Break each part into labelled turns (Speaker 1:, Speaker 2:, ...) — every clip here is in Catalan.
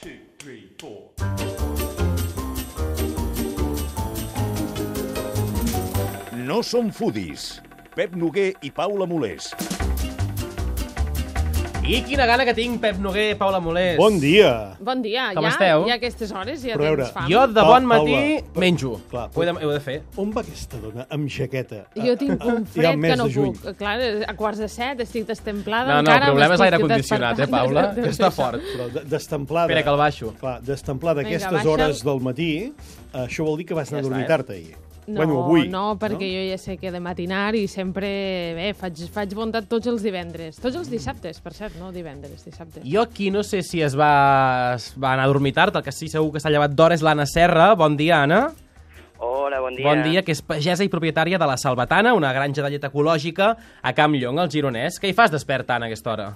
Speaker 1: 2, 3, 4.
Speaker 2: No som foodies. Pep Noguer i Paula Molés.
Speaker 3: I quina gana que tinc, Pep Noguer, Paula Molés.
Speaker 4: Bon dia.
Speaker 5: Bon dia.
Speaker 3: Com esteu?
Speaker 5: Ja a aquestes hores ja
Speaker 4: Però a veure,
Speaker 5: tens fam.
Speaker 3: Jo de bon matí
Speaker 4: Paula,
Speaker 3: menjo.
Speaker 4: clar,
Speaker 3: Ho he de fer.
Speaker 4: On va aquesta dona amb jaqueta?
Speaker 5: Jo tinc un
Speaker 4: Ja
Speaker 5: fred
Speaker 4: al mes
Speaker 5: que no
Speaker 4: de juny.
Speaker 5: puc. Clar, a quarts de 7 estic destemplada.
Speaker 3: No, el
Speaker 5: encara
Speaker 3: problema és
Speaker 5: m'estic
Speaker 3: l'aire condicionat,
Speaker 5: despertant.
Speaker 3: Paula? Que està fort.
Speaker 4: Però destemplada...
Speaker 3: Espera, que el baixo.
Speaker 4: Clar, destemplada a
Speaker 5: Vinga,
Speaker 4: aquestes
Speaker 5: baixa'l.
Speaker 4: hores del matí, això vol dir que vas anar a dormir tard ahir.
Speaker 5: No,
Speaker 4: Bueno, avui.
Speaker 5: no, perquè jo ja sé que he de matinar i sempre, faig bondat tots els divendres. Tots els dissabtes, per cert, no divendres, dissabtes.
Speaker 3: Jo aquí no sé si es va anar a dormir tard, el que sí segur que s'ha llevat d'hora és l'Anna Serra. Bon dia, Anna.
Speaker 6: Hola, bon dia.
Speaker 3: Bon dia, que és pagesa i propietària de la Salvatana, una granja de llet ecològica a Campllong, al Gironès. Què hi fas desperta, Anna, a aquesta hora?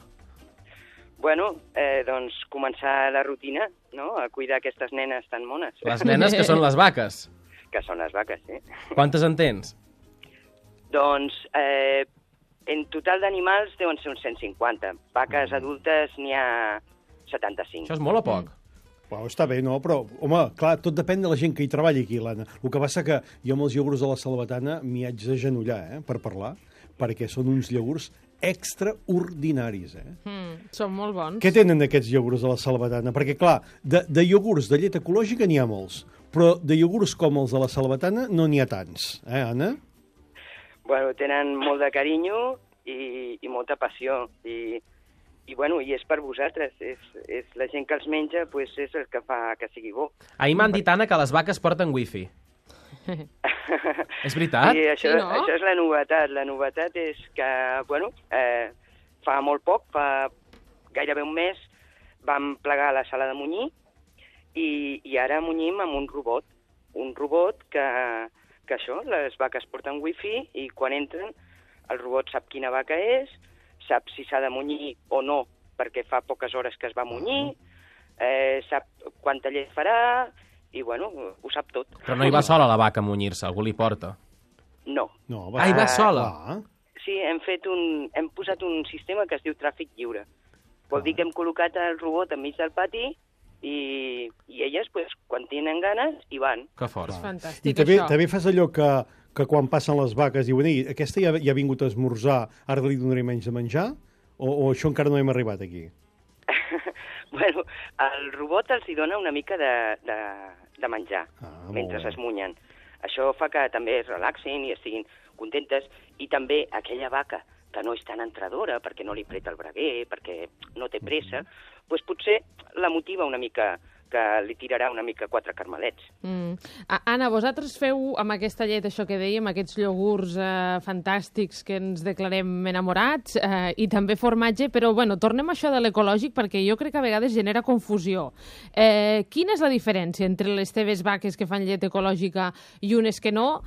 Speaker 6: Bueno, doncs començar la rutina, no?, a cuidar aquestes nenes tan mones.
Speaker 3: Les nenes que són les vaques.
Speaker 6: Que són les vaques, sí.
Speaker 3: Quantes en tens?
Speaker 6: Doncs, en total d'animals deuen ser uns 150. Vaques adultes n'hi ha 75.
Speaker 3: Això és molt o poc?
Speaker 4: Bueno, està bé, no? Però, home, clar, tot depèn de la gent que hi treballi aquí, l'Anna. El que passa que jo amb els iogurts de la Salvatana m'hi haig d'agenollar, per parlar, perquè són uns iogurts extraordinaris,
Speaker 5: Són molt bons.
Speaker 4: Què tenen aquests iogurts de la Salvatana? Perquè, clar, de iogurts de llet ecològica n'hi ha molts, però de iogurts com els de la Salvatana no n'hi ha tants, Anna?
Speaker 6: Bueno, tenen molt de carinyo i molta passió. I bueno, i és per vosaltres. És la gent que els menja, pues, és el que fa que sigui bo.
Speaker 3: Ahir m'han dit, Anna, que les vaques porten wifi. És veritat?
Speaker 6: Sí, això,
Speaker 5: Sí, no?
Speaker 6: això és la novetat. La novetat és que, bueno, fa molt poc, fa gairebé un mes, vam plegar la sala de munyir i ara munyim amb un robot que això, les vaques porten wifi i quan entren el robot sap quina vaca és, sap si s'ha de munyir o no perquè fa poques hores que es va munyir, sap quanta llet farà i, bueno, ho sap tot.
Speaker 3: Però no hi va sola la vaca a munyir-se, algú li porta.
Speaker 6: No.
Speaker 4: No,
Speaker 3: Ah, hi va sola?
Speaker 4: Clar.
Speaker 6: Sí, hem posat un sistema que es diu tràfic lliure. Vol dir que hem col·locat el robot enmig del pati i elles, pues, quan tenen ganes, hi van.
Speaker 3: Que fort.
Speaker 5: És
Speaker 4: I
Speaker 5: fantàstic,
Speaker 4: també,
Speaker 5: això.
Speaker 4: també fas allò que quan passen les vaques diuen ei, aquesta ja ha vingut a esmorzar, ara li donaré menys de menjar? O això encara no hem arribat aquí?
Speaker 6: Bueno, el robot els hi dona una mica de menjar
Speaker 4: Molt
Speaker 6: mentre
Speaker 4: bé.
Speaker 6: es munyen. Això fa que també es relaxin i estiguin contentes. I també aquella vaca que no és tan entradora perquè no li preta el braguer, perquè no té pressa, doncs potser la motiva una mica, que li tirarà una mica 4 carmelets.
Speaker 5: Anna, vosaltres feu amb aquesta llet, això que dèiem, aquests iogurts fantàstics que ens declarem enamorats i també formatge, però bueno, tornem a això de l'ecològic perquè jo crec que a vegades genera confusió. Quina és la diferència entre les teves vaques que fan llet ecològica i unes que no?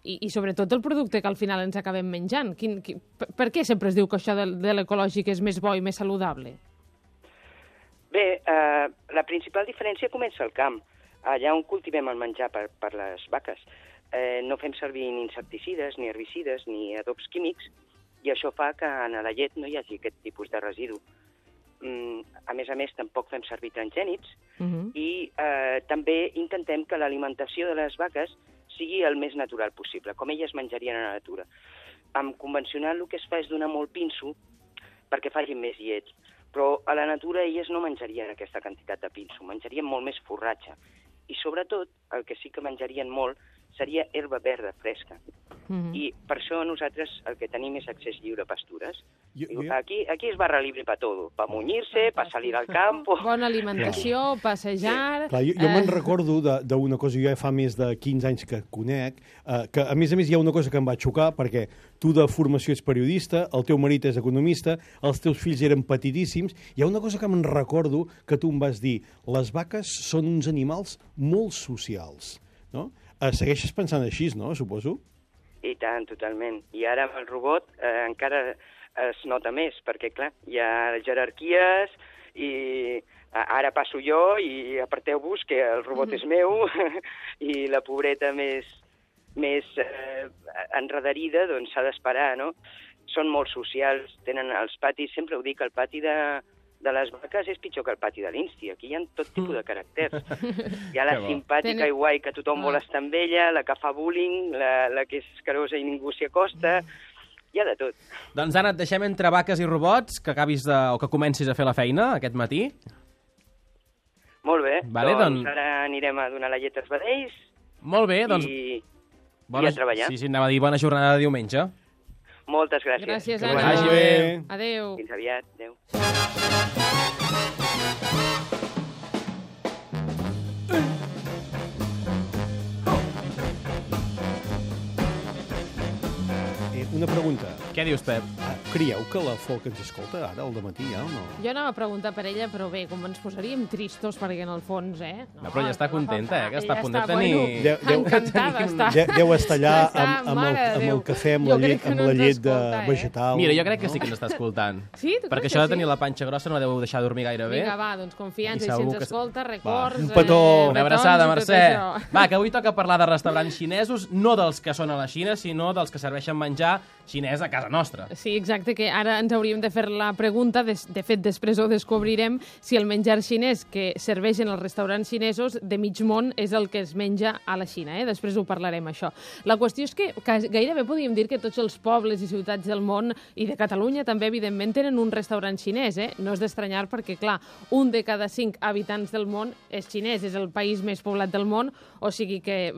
Speaker 5: I sobretot el producte que al final ens acabem menjant. Per què sempre es diu que això de l'ecològic és més bo i més saludable?
Speaker 6: Bé, la principal diferència comença al camp, allà on cultivem el menjar per les vaques. No fem servir ni insecticides, ni herbicides, ni adobs químics, i això fa que en la llet no hi hagi aquest tipus de residu. A més, tampoc fem servir transgènics i també intentem que l'alimentació de les vaques sigui el més natural possible, com elles menjarien a la natura. Amb convencional el que es fa és donar molt pinso perquè facin més llet, però a la natura elles no menjarien aquesta quantitat de pinso, menjarien molt més forratge. I sobretot, el que sí que menjarien molt seria herba verda fresca. I per això nosaltres el que tenim és accés lliure a pastures. Aquí es barra libre per tot, per munyir-se, per salir al camp...
Speaker 5: Bona alimentació, passejar...
Speaker 4: Clar, jo me'n recordo d'una cosa, jo ja fa més de 15 anys que conec, que a més hi ha una cosa que em va xocar, perquè tu de formació ets periodista, el teu marit és economista, els teus fills eren petitíssims, hi ha una cosa que me'n recordo que tu em vas dir, les vaques són uns animals molt socials, no? Segueixes pensant així, no?, suposo?
Speaker 6: I tant, totalment. I ara amb el robot encara es nota més, perquè, clar, hi ha jerarquies i ara passo jo i aparteu-vos que el robot és meu i la pobreta més enredarida doncs s'ha d'esperar, no? Són molt socials, tenen els patis, sempre ho dic, el pati de de les vaques és pitjor que el pati de l'Insti. Aquí hi ha tot tipus de caràcters. Hi ha la
Speaker 3: Que bo.
Speaker 6: simpàtica i guai, que tothom vol estar amb ella, la que fa bullying, la que és carosa i ningú s'hi acosta. Hi ha de tot.
Speaker 3: Doncs Anna, et deixem entre vaques i robots, que acabis o que comencis a fer la feina aquest matí.
Speaker 6: Molt bé,
Speaker 3: Vale,
Speaker 6: doncs ara anirem a donar la llet als vedells
Speaker 3: Molt bé, doncs...
Speaker 6: i a treballar.
Speaker 3: Sí, anava a dir bona jornada de diumenge.
Speaker 6: Moltes gràcies.
Speaker 5: Gràcies,
Speaker 4: Que
Speaker 5: Anna.
Speaker 4: vagi bé.
Speaker 5: Adéu.
Speaker 6: Fins aviat. Adéu.
Speaker 4: Una pregunta.
Speaker 3: Què dius, Pep?
Speaker 4: Creieu que la Folk ens escolta ara, al dematí, ja, o no?
Speaker 5: Jo anava a preguntar per ella, però bé, com ens posaríem tristos, perquè en el fons, No,
Speaker 3: Però ja està contenta, que està a punt de
Speaker 5: ella
Speaker 3: tenir...
Speaker 5: Bueno, encantada està.
Speaker 4: Deu estar allà
Speaker 5: Està,
Speaker 4: amb
Speaker 5: mare de
Speaker 4: el
Speaker 5: Déu.
Speaker 4: cafè, amb
Speaker 5: Jo
Speaker 4: la
Speaker 5: crec
Speaker 4: llet,
Speaker 5: que no
Speaker 4: amb la
Speaker 5: ens
Speaker 4: llet
Speaker 5: escolta,
Speaker 4: vegetal.
Speaker 3: Mira, jo crec que sí que ens està escoltant.
Speaker 5: Sí, tu
Speaker 3: Perquè
Speaker 5: creus
Speaker 3: això
Speaker 5: que
Speaker 3: de tenir
Speaker 5: sí?
Speaker 3: la panxa grossa no la deu deixar dormir gaire bé.
Speaker 5: Vinga, va, doncs confiança,
Speaker 3: I
Speaker 5: i si
Speaker 3: segur
Speaker 5: ens
Speaker 3: que-
Speaker 5: escolta, records...
Speaker 4: un petó.
Speaker 3: Una abraçada,
Speaker 5: petons i tot
Speaker 3: Mercè.
Speaker 5: això.
Speaker 3: Va, que avui toca parlar de restaurants xinesos, no dels que són a la Xina, sinó dels que serveixen menjar xinès a casa nostra.
Speaker 5: Sí, exacte, que ara ens hauríem de fer la pregunta, de fet, després ho descobrirem, si el menjar xinès que serveixen els restaurants xinesos de mig món és el que es menja a la Xina. Després ho parlarem, això. La qüestió és que gairebé podríem dir que tots els pobles i ciutats del món, i de Catalunya també, evidentment, tenen un restaurant xinès. No és d'estranyar perquè, clar, un de cada 5 habitants del món és xinès, és el país més poblat del món, o sigui que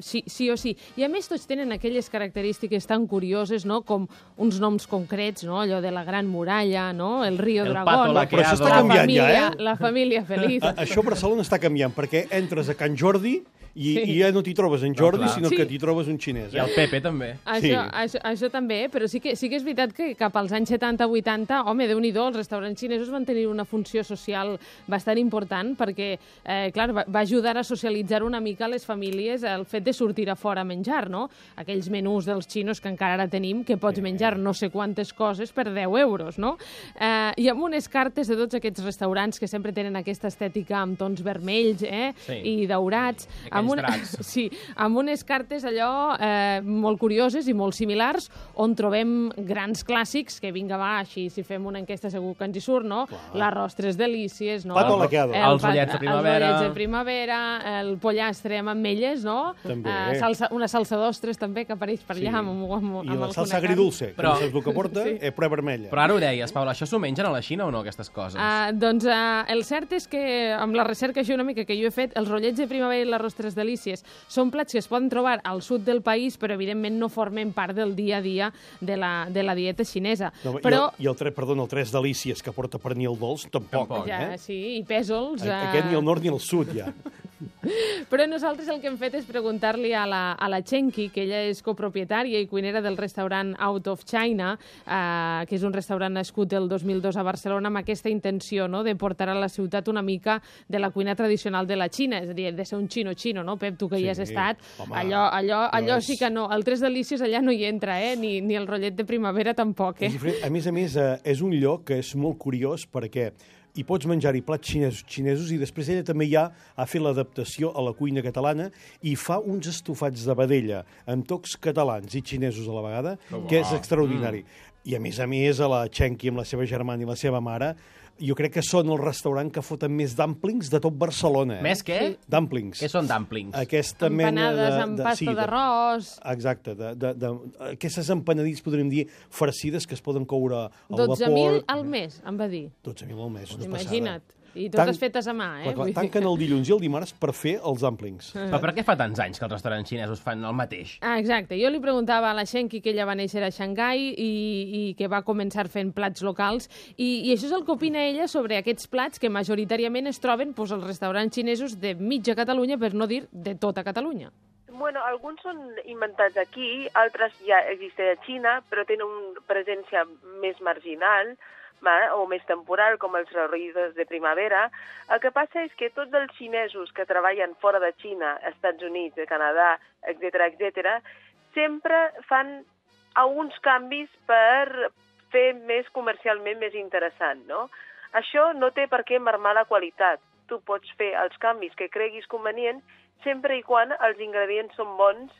Speaker 5: sí o sí. I a més tots tenen aquelles característiques tan curioses, no?, com uns noms concrets, no?, allò de la Gran Muralla, no?, el Río
Speaker 3: El
Speaker 5: Dragón,
Speaker 3: Pato
Speaker 4: Però això està
Speaker 3: Laqueado.
Speaker 4: canviant ja, eh?
Speaker 5: la família feliç.
Speaker 4: Això a Barcelona està canviant, perquè entres a Can Jordi i ja no t'hi trobes en Jordi,
Speaker 3: clar.
Speaker 4: sinó
Speaker 5: Sí.
Speaker 4: que t'hi trobes un xinès.
Speaker 3: I el Pepe també.
Speaker 5: Això també, però sí que és veritat que cap als anys 70-80, home, Déu-n'hi-do, els restaurants xinesos van tenir una funció social bastant important perquè, clar, va ajudar a socialitzar una mica les famílies el fet de sortir a fora a menjar, no? Aquells menús dels xinos que encara ara tenim, que pots menjar no sé quantes coses per 10 euros, no? I amb unes cartes de tots aquests restaurants que sempre tenen aquesta estètica amb tons vermells
Speaker 3: Sí.
Speaker 5: i daurats,
Speaker 3: Aquells dracs.
Speaker 5: Sí, amb unes cartes allò molt curioses i molt similars, on trobem grans clàssics, que vinga, va, així, si fem una enquesta segur que ens hi surt, no? L'arròs tres delícies, no?
Speaker 4: Pato Laqueado.
Speaker 3: Els ullets de primavera.
Speaker 5: Els ullets de primavera, el pollastre amb ametlles, no?
Speaker 4: També.
Speaker 5: Una salsa d'ostres, també, que apareix per allà amb
Speaker 4: I la
Speaker 5: alguna
Speaker 4: salsa
Speaker 5: carn.
Speaker 4: agridulce, que
Speaker 3: Però-
Speaker 4: no saps el que porta, prua vermella.
Speaker 3: Però ara ho deies, Paula, això s'ho mengen a la Xina o no, aquestes coses?
Speaker 5: Doncs el cert és que, amb la recerca així una mica que jo he fet, els rotllets de primavera i l'arròs tres delícies són plats que es poden trobar al sud del país, però evidentment no formen part del dia a dia de la dieta xinesa.
Speaker 4: No,
Speaker 5: però,
Speaker 4: I el tres delícies que porta pernil dolç, tampoc.
Speaker 5: ja, sí, i pèsols...
Speaker 4: Aquest ni al nord ni al sud, ja.
Speaker 5: Però nosaltres el que hem fet és preguntar-li a la Chenqui, que ella és copropietària i cuinera del restaurant Out of China, que és un restaurant nascut el 2002 a Barcelona, amb aquesta intenció, no?, de portar a la ciutat una mica de la cuina tradicional de la Xina, és a dir, de ser un xino-xino, no, Pep, tu que hi has estat,
Speaker 4: home,
Speaker 5: allò
Speaker 4: és-
Speaker 5: sí que no, el tres delícies allà no hi entra, ni el rotllet de primavera tampoc,
Speaker 4: És diferent. A més, és un lloc que és molt curiós perquè hi pots menjar-hi plats xinesos i després ella també ja ha fet l'adaptació a la cuina catalana i fa uns estofats de vedella amb tocs catalans i xinesos a la vegada, que és extraordinari. I a més, a la Chenqui amb la seva germana i la seva mare, jo crec que són el restaurant que foten més dumplings de tot Barcelona.
Speaker 3: Més què?
Speaker 4: Dumplings.
Speaker 3: Què són dumplings?
Speaker 4: Aquesta mena
Speaker 5: empanades amb pasta d'arròs...
Speaker 4: Exacte, aquestes empanadits, podríem dir, farcides que es poden coure al vapor.
Speaker 5: 12.000 al mes, em va dir.
Speaker 4: 12.000 al mes, una
Speaker 5: Imagina't.
Speaker 4: passada.
Speaker 5: I totes fetes a mà,
Speaker 4: Clar,
Speaker 5: Vull dir
Speaker 4: tanquen el dilluns i el dimarts per fer els dumplings.
Speaker 3: Però per què fa tants anys que els restaurants xinesos fan el mateix?
Speaker 5: Exacte. Jo li preguntava a la Shenki, que ella va néixer a Xangai i que va començar fent plats locals, i això és el que opina ella sobre aquests plats que majoritàriament es troben als restaurants xinesos de mitja Catalunya, per no dir de tota Catalunya.
Speaker 1: Bueno, alguns són inventats aquí, altres ja existeixen a Xina, però tenen una presència més marginal, o més temporal, com els reunidos de primavera. El que passa és que tots els xinesos que treballen fora de Xina, Estats Units, Canadà, etc., sempre fan alguns canvis per fer més comercialment més interessant, no? Això no té per què marmar la qualitat. Tu pots fer els canvis que creguis convenient sempre i quan els ingredients són bons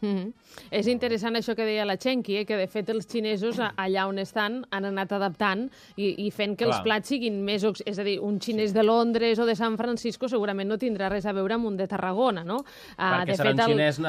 Speaker 5: És interessant això que deia la Chenqui, que de fet els xinesos allà on estan han anat adaptant i fent que els plats siguin més... És a dir, un xinès de Londres o de San Francisco segurament no tindrà res a veure amb un de Tarragona, no?
Speaker 3: Perquè serà un xinès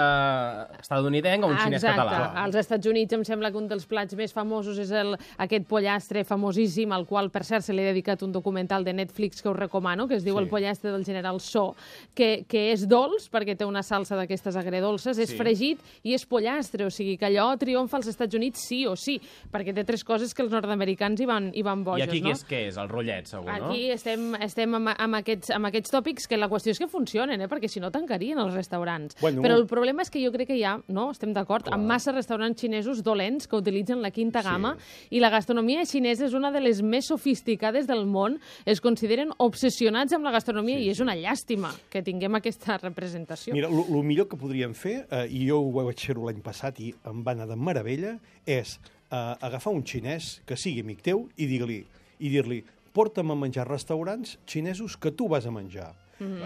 Speaker 3: estadounidenc o un xinès català.
Speaker 5: Exacte. Als Estats Units em sembla que un dels plats més famosos és aquest pollastre famosíssim, al qual, per cert, se li ha dedicat un documental de Netflix que us recomano, que es diu El pollastre del general So, que és dolç, perquè té una salsa d'aquestes agredolces, és fregit i és pollastre, o sigui que allò triomfa als Estats Units sí o sí, perquè té tres coses que els nord-americans hi van boges, no?
Speaker 3: I aquí què és? El rotllet, segur, no?
Speaker 5: Aquí estem amb aquests tòpics que la qüestió és que funcionen, perquè si no tancarien els restaurants. Però el problema és que jo crec que hi ha, no? Estem d'acord, amb massa restaurants xinesos dolents que utilitzen la quinta gamma i la gastronomia xinesa és una de les més sofisticades del món, es consideren obsessionats amb la gastronomia i és una llàstima que tinguem aquesta representació.
Speaker 4: Mira, el millor que podríem fer, i jo ho vaig fer l'any passat i em va anar de meravella, és agafar un xinès que sigui amic teu i dir-li porta'm a menjar a restaurants xinesos que tu vas a menjar.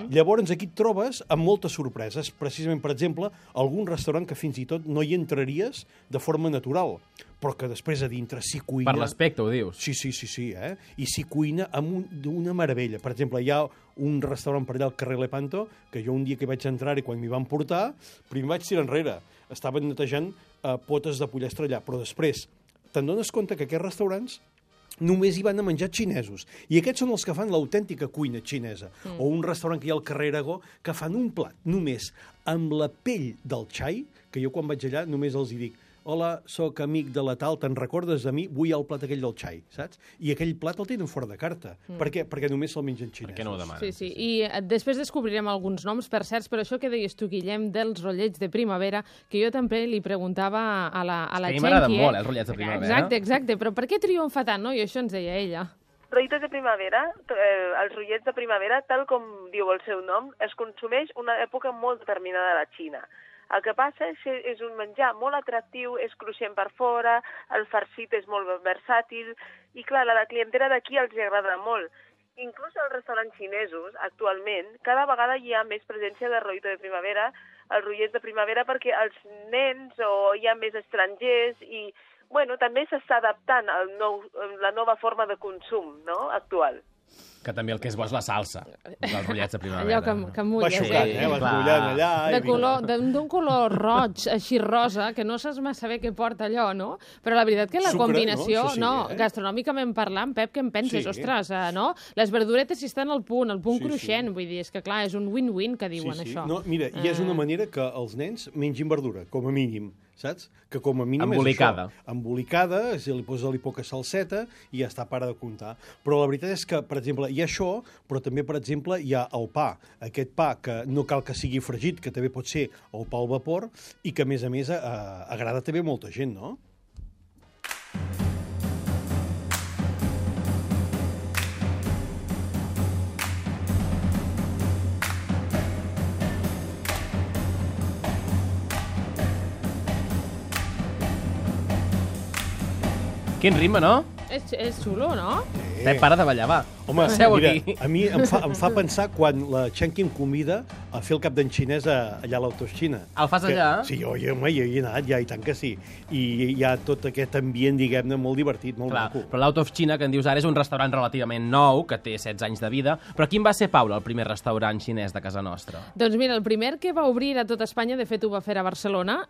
Speaker 4: Llavors aquí et trobes amb moltes sorpreses. Precisament, per exemple, algun restaurant que fins i tot no hi entraries de forma natural, però que després a dintre s'hi cuina...
Speaker 3: Per l'aspecte, ho dius?
Speaker 4: Sí, i s'hi cuina d'una meravella. Per exemple, hi ha un restaurant per allà al carrer Lepanto, que jo un dia que vaig entrar i quan m'hi van portar, primer vaig tirar enrere. Estaven netejant potes de pollastre allà, però després te'n dones compte que aquests restaurants només hi van a menjar xinesos. I aquests són els que fan l'autèntica cuina xinesa. O un restaurant que hi ha al carrer Aragó que fan un plat només amb la pell del xai, que jo quan vaig allà només els hi dic hola, sóc amic de la tal, te'n recordes de mi? Vull el plat aquell del xai, saps? I aquell plat el tenen fora de carta. Per què? Perquè només se'l mengen xinesos.
Speaker 3: Per què no ho demanen?
Speaker 5: Sí. I després descobrirem alguns noms, per certs, però això que deies tu, Guillem, dels rotllets de primavera, que jo també li preguntava a la Chenqui.
Speaker 3: A mi m'agraden molt, els rotllets de primavera.
Speaker 5: Exacte, però per què triomfa tant, no? I això ens deia ella.
Speaker 1: Rotllets de primavera, els rotllets de primavera, tal com diu el seu nom, es consumeix una època molt determinada a la Xina. El que passa és que és un menjar molt atractiu, és cruixent per fora, el farcit és molt versàtil, i clar, a la clientela d'aquí els agrada molt. Inclús als restaurants xinesos, actualment, cada vegada hi ha més presència de rotllets de primavera, els rotllets de primavera, perquè els nens o hi ha més estrangers i, bueno, també s'està adaptant a la nova forma de consum, no?, actual.
Speaker 3: Que també el que és bo és la salsa, dels rotllets de primavera.
Speaker 5: Allò que mulla.
Speaker 4: Va xocant, vas mullant allà...
Speaker 5: D'un color roig, així rosa, que no saps massa bé què porta allò, no? Però la veritat que la combinació, gastronòmicament parlant, Pep, què en penses? Ostres, no? Les verduretes hi estan al punt cruixent, vull dir, és que clar, és un win-win que diuen això.
Speaker 4: No, mira, i és una manera que els nens mengin verdura, com a mínim, saps? Que com a mínim
Speaker 3: embolicada.
Speaker 4: És això. Embolicada, li posa-li poca salseta i ja està, para de comptar. Però la veritat és que, per exemple, hi ha això, però també, per exemple, hi ha el pa. Aquest pa que no cal que sigui fregit, que també pot ser el pa al vapor, i que, a més, agrada també a molta gent, no?
Speaker 3: Quin ritme, no?
Speaker 5: És xulo, no?
Speaker 3: Pep, para de ballar, va.
Speaker 4: Home,
Speaker 3: seu
Speaker 4: mira,
Speaker 3: aquí.
Speaker 4: a mi em fa pensar quan la Chenqui em convida a fer el cap d'en xinès allà a l'Autoxina.
Speaker 3: El fas allà?
Speaker 4: Sí, jo hi he anat, ja, i tant que sí. I hi ha tot aquest ambient, diguem-ne, molt divertit, molt maco.
Speaker 3: Però l'Out of China, que en dius ara, és un restaurant relativament nou, que té 16 anys de vida. Però quin va ser, Paula, el primer restaurant xinès de casa nostra?
Speaker 5: Doncs mira, el primer que va obrir a tot Espanya, de fet ho va fer a Barcelona,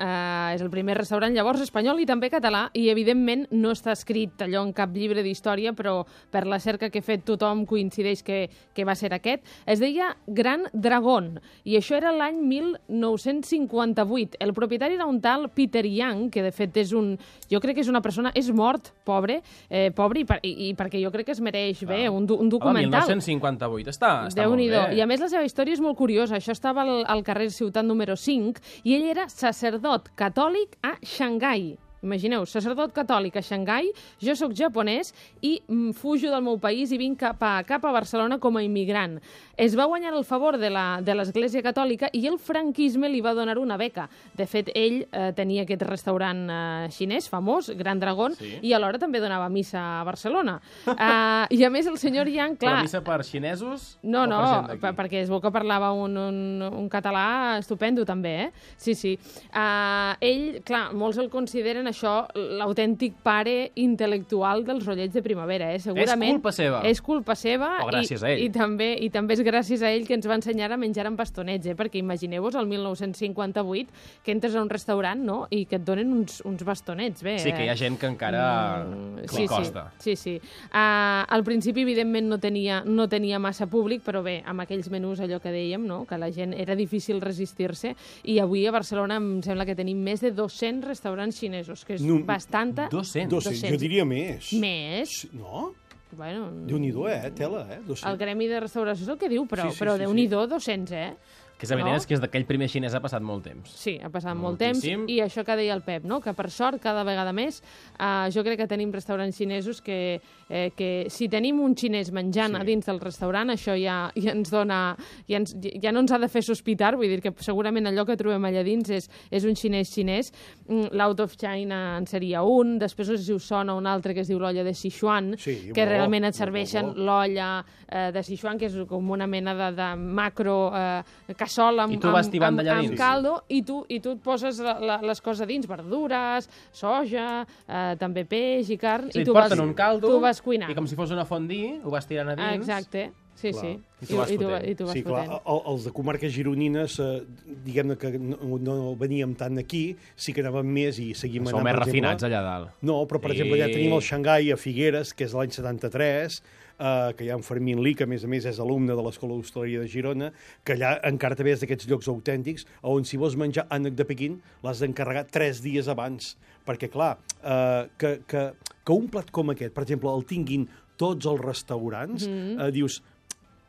Speaker 5: és el primer restaurant llavors espanyol i també català, i evidentment no està escrit allò en cap llibre d'història, però per la cerca que he fet tothom coincideix que va ser aquest. Es deia Gran Dragón, i això era l'any 1958. El propietari era un tal Peter Yang, que de fet és jo crec que és una persona, és mort, pobre, i perquè jo crec que es mereix bé un documental.
Speaker 3: El 1958, està molt bé.
Speaker 5: I a més la seva història és molt curiosa. Això estava al carrer Ciutat número 5, i ell era sacerdot catòlic a Xangai. Imagineu, sacerdot catòlic a Xangai, jo sóc japonès i fujo del meu país i vinc cap a Barcelona com a immigrant. Es va guanyar el favor de l'Església Catòlica i el franquisme li va donar una beca. De fet, ell tenia aquest restaurant xinès famós, Gran Dragón, i alhora també donava missa a Barcelona. I a més el senyor Yang, clar...
Speaker 3: Però missa per xinesos?
Speaker 5: No, perquè es veu que parlava un català estupendo també, Sí. Ell, clar, molts el consideren això l'autèntic pare intel·lectual dels rotllets de primavera, segurament.
Speaker 3: És culpa seva.
Speaker 5: És culpa seva.
Speaker 3: O gràcies a ell.
Speaker 5: I també és gràcies a ell que ens va ensenyar a menjar amb bastonets, perquè imagineu-vos el 1958 que entres a un restaurant, no?, i que et donen uns bastonets. Bé,
Speaker 3: sí, que hi ha gent que encara li costa.
Speaker 5: Sí. Al principi, evidentment, no tenia massa públic, però bé, amb aquells menús, allò que dèiem, no?, que la gent era difícil resistir-se, i avui a Barcelona em sembla que tenim més de 200 restaurants xinesos, que és bastanta...
Speaker 3: 200?
Speaker 4: Jo diria més.
Speaker 5: Més?
Speaker 4: No?
Speaker 5: Bueno,
Speaker 4: Déu-n'hi-do, tela, 200.
Speaker 5: El Gremi de Restauració és el que diu, però Déu-n'hi-do, 200,
Speaker 3: Que és evident que és d'aquell primer xinès ha passat molt temps.
Speaker 5: Sí, ha passat molt temps, i això que deia el Pep, no?, que per sort cada vegada més jo crec que tenim restaurants xinesos que si tenim un xinès menjant a dins del restaurant, això ja ens dona... ja no ens ha de fer sospitar, vull dir que segurament allò que trobem allà dins és un xinès. L'Out of China en seria un, després no sé si us sona un altre que es diu l'olla de Sichuan, que realment et serveixen l'olla de Sichuan, que és com una mena de macro cassola amb caldo, i tu et poses les coses a dins, verdures, soja, també peix i carn,
Speaker 3: i
Speaker 5: tu vas cuinant.
Speaker 3: I com si fos una fondue, ho vas tirant a dins.
Speaker 5: Exacte. Sí.
Speaker 3: I tu vas fotent.
Speaker 4: Sí, clar, els de comarques gironines, diguem-ne que no veníem tant aquí, sí que anàvem més i seguim anant...
Speaker 3: Som més refinats allà dalt.
Speaker 4: No, però per exemple allà tenim el Xangai a Figueres, que és l'any 73, que hi ha en Fermín Li, que a més és alumne de l'Escola d'Hostaleria de Girona, que allà encara també és d'aquests llocs autèntics, on si vols menjar ànec de Pequín l'has d'encarregar 3 dies abans, perquè clar, que un plat com aquest, per exemple, el tinguin tots els restaurants, dius...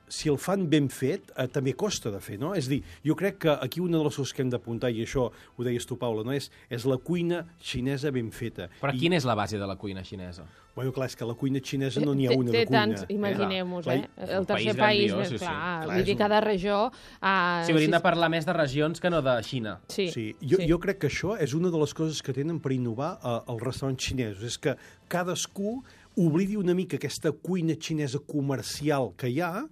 Speaker 4: Si el fan ben fet, també costa de fer, no? És a dir, jo crec que aquí una de les coses que hem d'apuntar, i això ho deies tu, Paula, no? és la cuina xinesa ben feta.
Speaker 3: Però quina és la base de la cuina xinesa?
Speaker 4: Bueno, clar, és que la cuina xinesa no n'hi ha una de cuina.
Speaker 5: Té tants, imagineu-vos, el tercer país més clar. Vull dir, cada regió...
Speaker 3: Sí, hauríem de parlar més de regions que no de Xina.
Speaker 4: Sí. Jo crec que això és una de les coses que tenen per innovar els restaurants xinesos, és que cadascú oblidi una mica aquesta cuina xinesa comercial que hi ha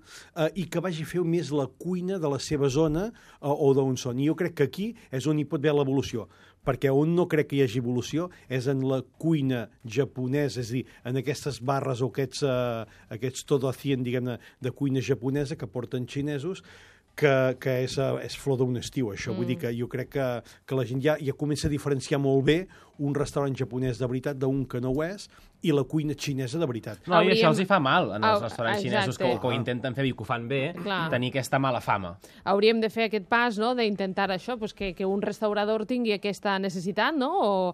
Speaker 4: i que vagi a fer més la cuina de la seva zona o d'on són. I jo crec que aquí és on hi pot haver l'evolució, perquè on no crec que hi hagi evolució és en la cuina japonesa, és a dir, en aquestes barres o aquests todo hacien, diguem-ne, de cuina japonesa que porten xinesos, que és flor d'un estiu, això. Vull dir que jo crec que la gent ja comença a diferenciar molt bé un restaurant japonès de veritat d'un que no ho és, i la cuina xinesa de veritat.
Speaker 3: No, i això els hi fa mal, en els restaurants xinesos que ho intenten fer i que ho fan bé, tenir aquesta mala fama.
Speaker 5: Hauríem de fer aquest pas, no?, d'intentar això, que un restaurador tingui aquesta necessitat, no?, o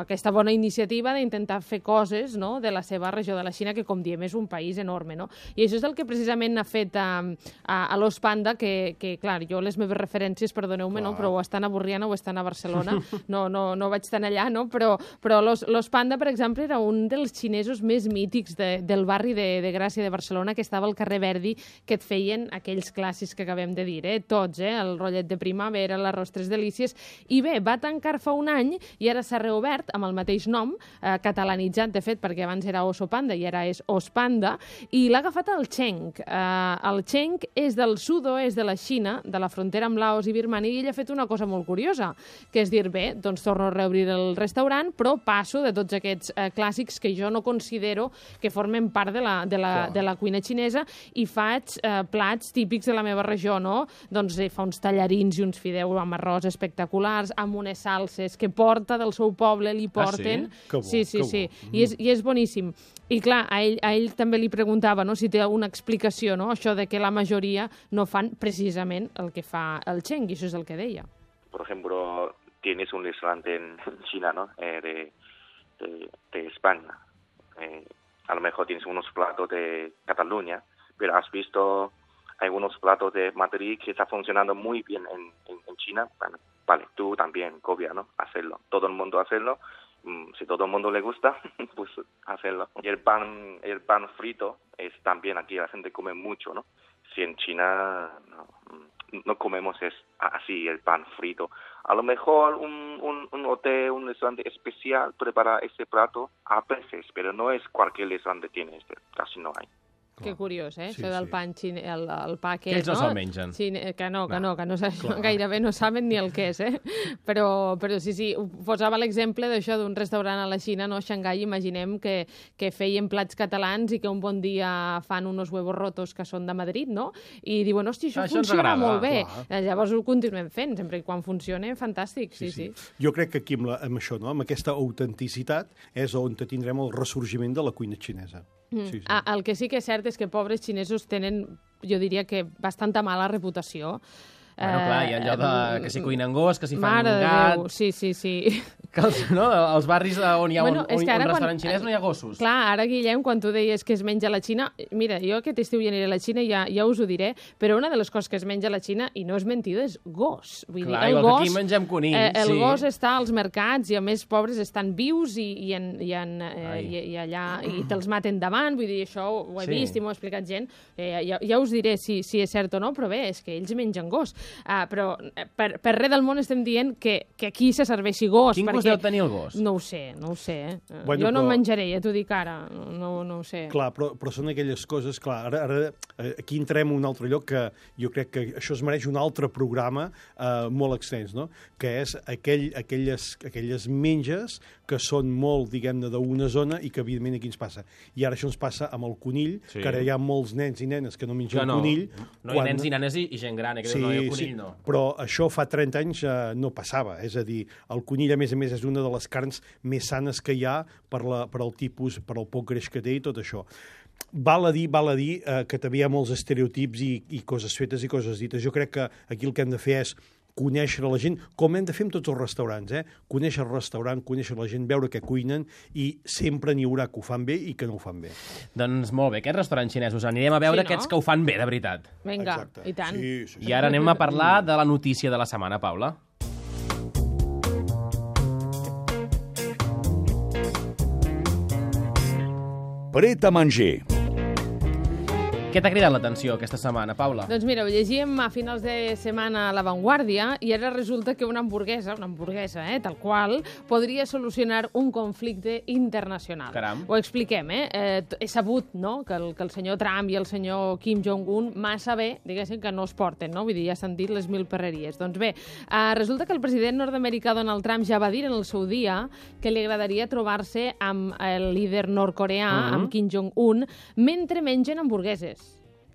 Speaker 5: aquesta bona iniciativa d'intentar fer coses, no?, de la seva regió de la Xina, que, com diem, és un país enorme, no? I això és el que precisament ha fet a l'Os Panda, que, clar, jo les meves referències, perdoneu-me, no?, però o estan a Borriana o estan a Barcelona, no vaig tan allà, no?, però l'Os Panda, per exemple, era un dels xinesos més mítics del barri de Gràcia de Barcelona, que estava al carrer Verdi, que et feien aquells clàssics que acabem de dir, tots, el rotllet de primavera, l'arròs tres delícies, i bé, va tancar fa un any i ara s'ha reobert amb el mateix nom, catalanitzat, de fet, perquè abans era Oso Panda i ara és Os Panda, i l'ha agafat el Cheng. El Cheng és del sud-oest de la Xina, de la frontera amb Laos i Birmania, i ell ha fet una cosa molt curiosa, que és dir, bé, doncs torno a reobrir el restaurant, però passo de tots aquests clàssics que jo no considero que formen part de la cuina xinesa i faig plats típics de la meva regió, no? Doncs fa uns tallarins i uns fideus amb arròs espectaculars, amb unes salses que porta del seu poble, li porten.
Speaker 4: Que bo,
Speaker 5: sí. I és boníssim. I clar, a ell també li preguntava, no?, si té una explicació, no?, això de que la majoria no fan precisament el que fa el Cheng, i això és el que deia.
Speaker 7: Por ejemplo, tienes un restaurante en China, ¿no?, de España. A lo mejor tienes unos platos de Cataluña, pero has visto algunos platos de Madrid que está funcionando muy bien en China. Bueno, vale, tú también, copia, ¿no?, hacerlo. Todo el mundo hacerlo si todo el mundo le gusta, pues hacerlo. Y el pan frito es también aquí la gente come mucho, ¿no? Si en China no comemos así el pan frito. A lo mejor un hotel, un restaurante especial prepara ese plato a veces, pero no es cualquier restaurante tiene casi no hay.
Speaker 5: Que curiós,
Speaker 4: Sí,
Speaker 5: això del pan xine, el pa aquest,
Speaker 3: Que ells no se'l mengen.
Speaker 5: Que no gairebé no saben ni el que és, Però sí, posava l'exemple d'això d'un restaurant a la Xina, no? A Xangai, imaginem que feien plats catalans i que un bon dia fan unos huevos rotos que són de Madrid, no? I diuen, hosti, això funciona molt bé. Llavors ho continuem fent, sempre i quan funcione, fantàstic, sí.
Speaker 4: Jo crec que aquí amb això, no? Amb aquesta autenticitat, és on tindrem el ressorgiment de la cuina xinesa. Sí.
Speaker 5: El que sí que és cert és que pobres xinesos tenen, jo diria que bastanta mala reputació.
Speaker 3: Bueno, clar, hi ha allò que s'hi cuinen gos, que s'hi fan
Speaker 5: Mare
Speaker 3: gat...
Speaker 5: Déu, sí.
Speaker 3: Que als barris on hi ha un restaurant xinès no hi ha gossos.
Speaker 5: Clar, ara, Guillem, quan tu deies que es menja a la Xina... Mira, jo aquest estiu ja aniré a la Xina i ja us ho diré, però una de les coses que es menja a la Xina, i no és mentida, és gos. Vull dir, el
Speaker 3: gos, que aquí mengem conill,
Speaker 5: el gos està als mercats i, a més, pobres estan vius i allà i te'ls maten davant. Vull dir, això ho he vist i m'ho ha explicat gent. Ja us diré si és cert o no, però bé, és que ells mengen gos. Però per res del món estem dient que aquí se serveixi gos.
Speaker 3: Quin gust deu tenir el gos?
Speaker 5: No ho sé.
Speaker 4: Bueno,
Speaker 5: jo no el menjaré, ja t'ho dic ara. No ho sé.
Speaker 4: Clar, però són aquelles coses... Clar, ara aquí entrem en un altre lloc que jo crec que això es mereix un altre programa molt extens, no? Que és aquelles menges que són molt, diguem-ne, d'una zona i que, evidentment, aquí ens passa. I ara això ens passa amb el conill, que ara hi ha molts nens i nenes que no mengen conill.
Speaker 3: No, hi ha nens i nenes i gent gran, que diu, no, el conill no.
Speaker 4: Però això fa 30 anys no passava. És a dir, el conill, a més, és una de les carns més sanes que hi ha per el tipus, per el poc greix que té i tot això. Val a dir que també hi ha molts estereotips i coses fetes i coses dites. Jo crec que aquí el que hem de fer és conèixer la gent, com hem de fer amb tots els restaurants, conèixer el restaurant, conèixer la gent, veure què cuinen, i sempre n'hi haurà que ho fan bé i que no ho fan bé.
Speaker 3: Doncs molt bé, aquests restaurants xinesos anirem a veure aquests que ho fan bé, de veritat.
Speaker 5: Vinga, i tant.
Speaker 4: Sí.
Speaker 3: I ara anem a parlar de la notícia de la setmana, Paula.
Speaker 2: Pret a manger.
Speaker 3: Què t'ha cridat l'atenció aquesta setmana, Paula?
Speaker 5: Doncs mira, ho llegíem a finals de setmana a La Vanguardia i ara resulta que una hamburguesa, tal qual, podria solucionar un conflicte internacional.
Speaker 3: Caram.
Speaker 5: Ho expliquem, He sabut, no?, que el senyor Trump i el senyor Kim Jong-un massa bé, diguéssim, que no es porten, no? Vull dir, ja s'han dit les mil perreries. Doncs bé, resulta que el president nord-americà Donald Trump ja va dir en el seu dia que li agradaria trobar-se amb el líder nord-coreà, amb Kim Jong-un, mentre mengen hamburgueses.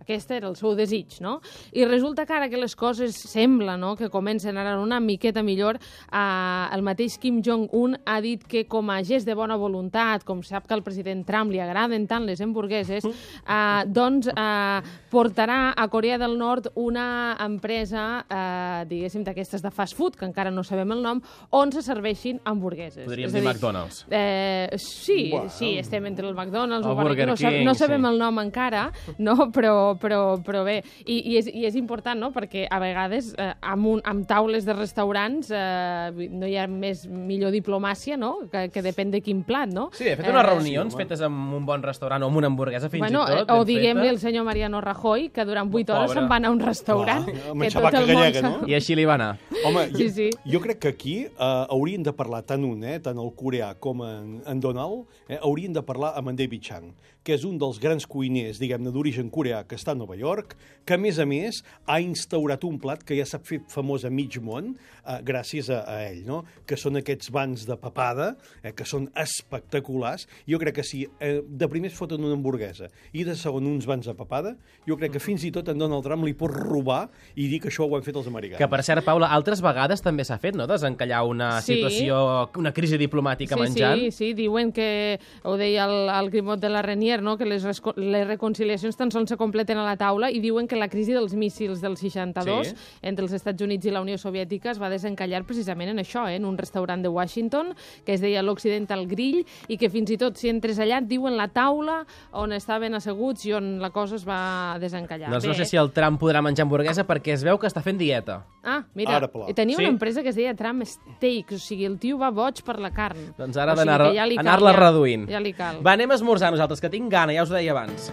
Speaker 5: Aquest era el seu desig, no? I resulta que ara que les coses sembla, no?, que comencen a anar una miqueta millor, el mateix Kim Jong-un ha dit que com a gest de bona voluntat, com sap que al president Trump li agraden tant les hamburgueses, doncs portarà a Corea del Nord una empresa, diguéssim, d'aquestes de fast food, que encara no sabem el nom, on se serveixin hamburgueses.
Speaker 3: Podríem dir McDonald's.
Speaker 5: Sí, estem entre el McDonald's
Speaker 3: o Burger King,
Speaker 5: no sabem el nom encara, no? Però bé, i és important, no?, perquè a vegades amb taules de restaurants no hi ha millor diplomàcia, no?, que depèn de quin plat, no?
Speaker 3: Sí, he fet unes reunions fetes en un bon restaurant o amb una hamburguesa fins i tot.
Speaker 5: O diguem-li al senyor Mariano Rajoy, que durant 8 hores se'n va anar a un restaurant.
Speaker 4: Amb xabaca gallega, no?
Speaker 3: I així li va anar.
Speaker 4: Home, jo crec que aquí haurien de parlar tant el coreà com en Donald, haurien de parlar amb en David Chang, que és un dels grans cuiners, diguem-ne, d'origen coreà, que està a Nova York, que, a més, ha instaurat un plat que ja s'ha fet famós a mig món gràcies a ell, no?, que són aquests bans de papada, que són espectaculars. Jo crec que si de primer es foten una hamburguesa i de segon uns bans de papada, jo crec que fins i tot en Donald Trump li pot robar i dir que això ho han fet els americans.
Speaker 3: Que, per cert, Paula, altres vegades també s'ha fet, no?, desencallar una situació, una crisi diplomàtica menjant.
Speaker 5: Sí, diuen que, ho deia el Grimot de la Renier, no?, que les reconciliacions tan sols se completen senten a la taula i diuen que la crisi dels míssils del 62 entre els Estats Units i la Unió Soviètica es va desencallar precisament en això, en un restaurant de Washington que es deia l'Occidental Grill i que fins i tot si entres allà et diuen la taula on estaven asseguts i on la cosa es va desencallar.
Speaker 3: Doncs no sé si el Trump podrà menjar hamburguesa perquè es veu que està fent dieta.
Speaker 5: Ah, mira, tenia una empresa que es deia Trump Steaks, o sigui, el tio va boig per la carn.
Speaker 3: Doncs ara ha d'anar-la reduint.
Speaker 5: Ja li cal.
Speaker 3: Va, anem a esmorzar nosaltres, que tinc gana, ja us ho deia abans.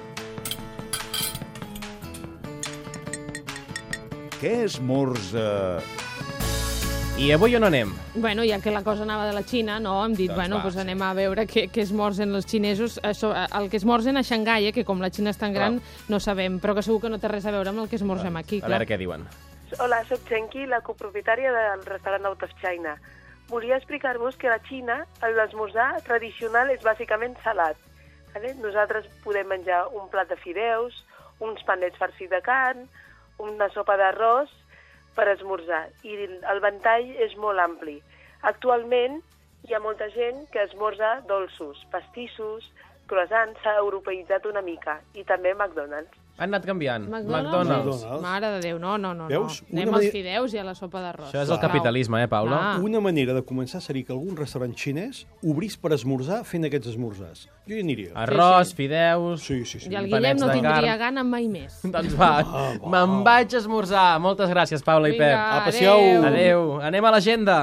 Speaker 2: Què esmorza?
Speaker 3: I avui on anem?
Speaker 5: Bueno, ja que la cosa anava de la Xina, no? Hem dit, doncs anem a veure què esmorzen els xinesos. El que esmorzen a Xangai, que com la Xina és tan gran, no sabem, però que segur que no té res a veure amb el que esmorzem aquí.
Speaker 3: A veure què diuen.
Speaker 1: Hola, soc Chenqui, la copropietària del restaurant Out of China. Volia explicar-vos que a la Xina l'esmorzar tradicional és bàsicament salat. Nosaltres podem menjar un plat de fideus, uns panets farcits de carn, una sopa d'arròs per esmorzar. I el ventall és molt ampli. Actualment hi ha molta gent que esmorza dolços, pastissos, croissants, s'ha europeïtzat una mica, i també McDonald's.
Speaker 3: Han anat canviant.
Speaker 5: McDonald's. Mare de Déu, no.
Speaker 4: Veus?
Speaker 5: Anem als fideus i a la sopa d'arròs.
Speaker 3: Això és el capitalisme, Paula?
Speaker 4: Una manera de començar seria que algun restaurant xinès obrís per esmorzar fent aquests esmorzars. Jo hi aniria.
Speaker 3: Arròs, fideus...
Speaker 4: Sí.
Speaker 5: I el Guillem no tindria gana mai més.
Speaker 3: Doncs va, me'n vaig a esmorzar. Moltes gràcies, Paula i Pep.
Speaker 4: Passeu.
Speaker 3: Adéu. Anem a l'agenda.